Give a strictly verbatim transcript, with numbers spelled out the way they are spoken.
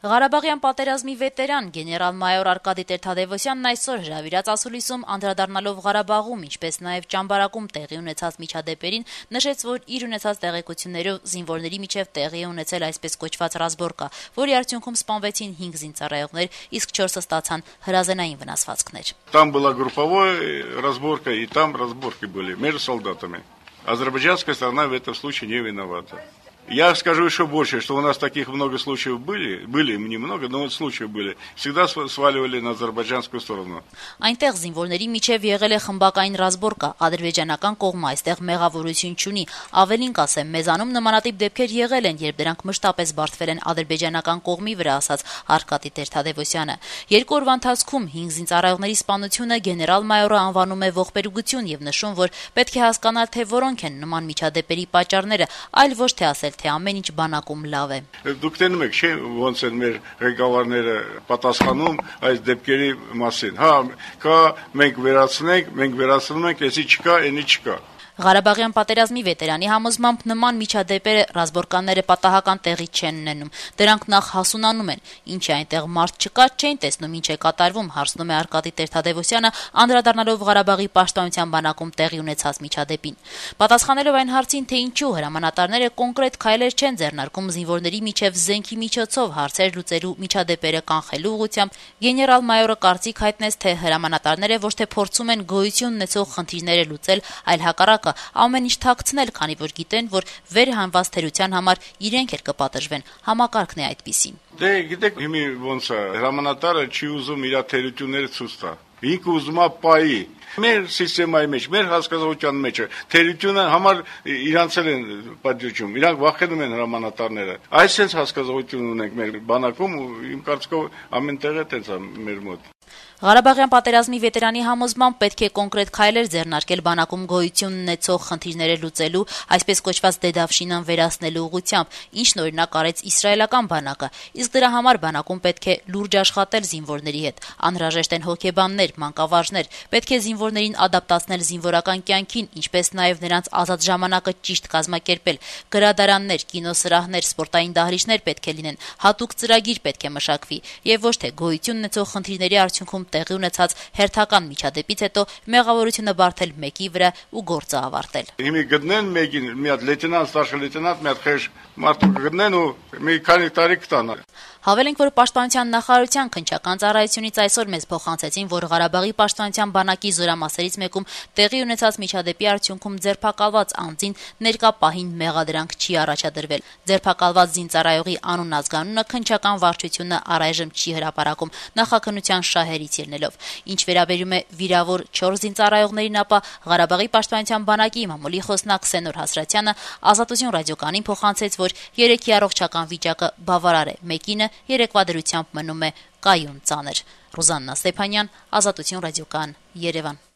Ղարաբաղյան պատերազմի վետերան գեներալ-մայոր Արկադի Տեր-Թադևոսյանն այսօր հրավիրած ասուլիսում անդրադառնալով Ղարաբաղում, ինչպես նաև Ճամբարակում տեղի ունեցած միջադեպերին, նշեց, որ իր ունեցած տեղեկություններով զինվորների միջև տեղի է ունեցել այսպես կոչված ռազմորկա, որի արդյունքում սպանվեցին հինգ զինծառայողներ, իսկ չորսը ստացան հրազենային վնասվածքներ. Там была групповая разборка, и там разборки были между солдатами. Азербайджанская сторона в этом случае не виновата. Я скажу еще больше, что у нас таких много случаев были, были немного, но вот случаи были, всегда сваливали на азербайджанскую сторону. Այնտեղ զինվորների միջև եղել է խմբակային ռազմորկա, ադրբեջանական կողմը այստեղ մեղավորություն չունի, ավելին կասեմ, մեզանում նմանատիպ դեպքեր եղել են, երբ դրանք մշտապես բարդվել են ադրբեջանական կողմի վրա, ասաց Արկադի Տեր-Թադևոսյանը. Երկու օրվա ընթացքում հինգ զինծառայողների սպանությունը գեներալ-մայորը անվանում է ողբերգություն եւ նշում, որ պետք է հասկանալ, թե որոնք են նման միջադեպերի պատճառները, այլ ոչ թե ասել, թե ամեն ինչ բանակում լավ է. Դուք տենում եք, չէ՞, ոնց են մեր ղեկավարները պատասխանում այս դեպքերի մասին. Հա, կա, մենք վերացնենք, մենք վերացնում ենք, էսի չկա, էնի չկա. Ղարաբաղյան պատերազմի վետերանի համոզմամբ նման միջադեպերը ռազմորկանները պատահական տեղի չեն ունենում. Դրանք նախ հասունանում են. Ինչ է այնտեղ մարդ չկա, չեն տեսնում ինչ է կատարվում, հարցնում է Արկադի Տեր-Թադևոսյանը, անդրադառնալով Ղարաբաղի պաշտպանության բանակում տեղի ունեցած միջադեպին. Պատասխանելով այն հարցին, թե ինչու հրամանատարները կոնկրետ քայլեր չեն ձեռնարկում զինվորների միջև զենքի միջոցով հարցեր լուծելու միջադեպերը կանխելու ուղղությամբ, գեներալ-մայորը կարծիք հայտնեց, թե հրամանատարները ոչ թե փորձում են գոյություն ունեցող խնդիրները լուծել, այլ հակառակը ամեն ինչ թաքցնել, քանի որ գիտեն, որ վերհանված թերության համար իրենք էլ կպատժվեն. համակարգն է այդպիսին. Դե գիտեք, հիմի ոնց է, հրամանատարը չի ուզում իր թերությունները ցույց տա. Ինքը ուզում է պայի. Մեր սիստեմայի մեջ, մեր հասկացության մեջ թերությունը համար իրանց են պատժում, իրանք վախենում են հրամանատարները. Այսպես հասկացություն ունենք մեր բանակում ու իմ կարծիքով ամենտեղ է տենց մեր մոտ. Ղարաբաղյան պատերազմի վետերանի համոզմամբ պետք է կոնկրետ քայլեր ձեռնարկել բանակում գոյություն ունեցող խնդիրները լուծելու, այսպես կոչված դեդավշինան վերացնելու ուղղությամբ, ինչն օրինակ արեց իսրայելական բանակը, իսկ դրա համար բանակում պետք է լուրջ աշխատել զինվորների հետ, անհրաժեշտ են հոգեբաններ, մանկավարժներ, պետք է զինվորներին ադապտացնել զինվորական կյանքին, ինչպես նաև նրանց ազատ ժամանակը ճիշտ կազմակերպել, գրադարաններ, կինոսրահներ, սպորտային դահլիճներ պետք է լինեն, հատուկ ծրագիր պետք է մշակվի եւ ոչ թե գոյություն ունեցող խնդիրների արդյունքում տեղի ունեցած հերթական միջադեպից հետո մեղավորությունը բարթել մեկի վրա ու գործը ավարտել. Հիմի գտնեն մեկին, մի հատ լեյտենանտ, ստարշին լեյտենանտ, մի հատ խեժ մարդու գտնեն ու մի քանի տարի կտան. Հավելենք, որ Պաշտպանության նախարարության քննչական ծառայությունից այսօր մեզ փոխանցեցին, որ Ղարաբաղի պաշտպանության բանակի զորամասերից մեկում տեղի ունեցած միջադեպի արդյունքում ձերբակալված անձին ներկա պահին մեղադրանք չի առաջադրվել. Ձերբակալված զինծառայողի անուն ազգանունը քննչական վարչությունը առայժմ չի հրապարակում նախաքննության շահերից ելնելով. Ինչ վերաբերում է վիրավոր չորս զինծառայողներին, ապա Ղարաբաղի պաշտպանության բանակի մամուլի խոսնակ Սենոր Հասրատյանը Ազատություն ռադիոկայանին փոխանցեց, որ երեքի առողջական վիճակը բավարար է, մեկինը երեկվա դրությամբ մնում է կայուն ծանր. Ռուզաննա Ստեփանյան, Ազատություն ռադիոկայան, Երևան.